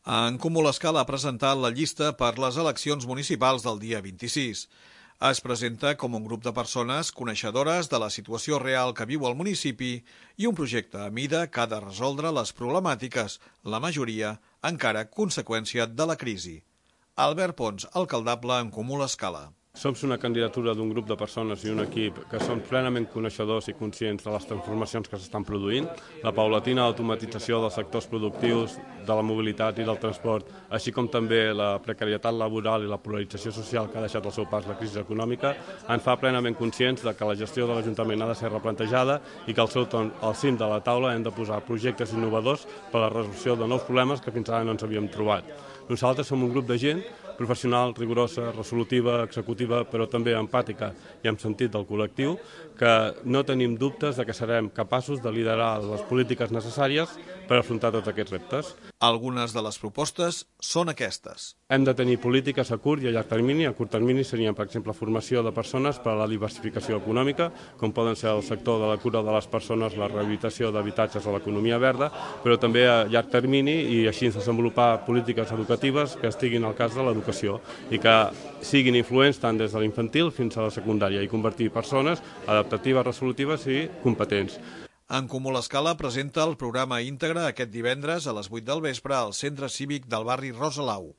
En Comú l'Escala ha presentat la llista per les eleccions municipals del dia 26. Es presenta com un grup de persones coneixedores de la situació real que viu el municipi i un projecte a mida que ha de resoldre les problemàtiques, la majoria encara conseqüència de la crisi. Albert Pons, alcaldable en Comú l'Escala. Som una candidatura d'un grup de persones i un equip que són plenament coneixedors i conscients de les transformacions que s'estan produint, la paulatina automatització dels sectors productius, de la mobilitat i del transport, així com també la precarietat laboral i la polarització social que ha deixat al seu pas la crisi econòmica, ens fa plenament conscients de que la gestió de l'Ajuntament ha de ser replantejada i que al cim de la taula hem de posar projectes innovadors per a la resolució de nous problemes que fins ara no ens havíem trobat. Nosaltres som un grup de gent professional, rigorosa, resolutiva, executiva, però també empàtica i amb sentit del col·lectiu, que no tenim dubtes de que serem capaços de liderar les polítiques necessàries per afrontar tots aquests reptes. Algunes de les propostes són aquestes. Hem de tenir polítiques a curt i a llarg termini. A curt termini serien, per exemple, formació de persones per a la diversificació econòmica, com poden ser el sector de la cura de les persones, la rehabilitació d'habitatges o l'economia verda, però també a llarg termini i així desenvolupar polítiques educatives que estiguin al cas de l'educació i que siguin influents tant des de l'infantil fins a la secundària i convertir persones adaptatives, resolutives i competents. En Comú l'Escala presenta el programa íntegre aquest divendres a les 8 del vespre al Centre Cívic del barri Rosalau.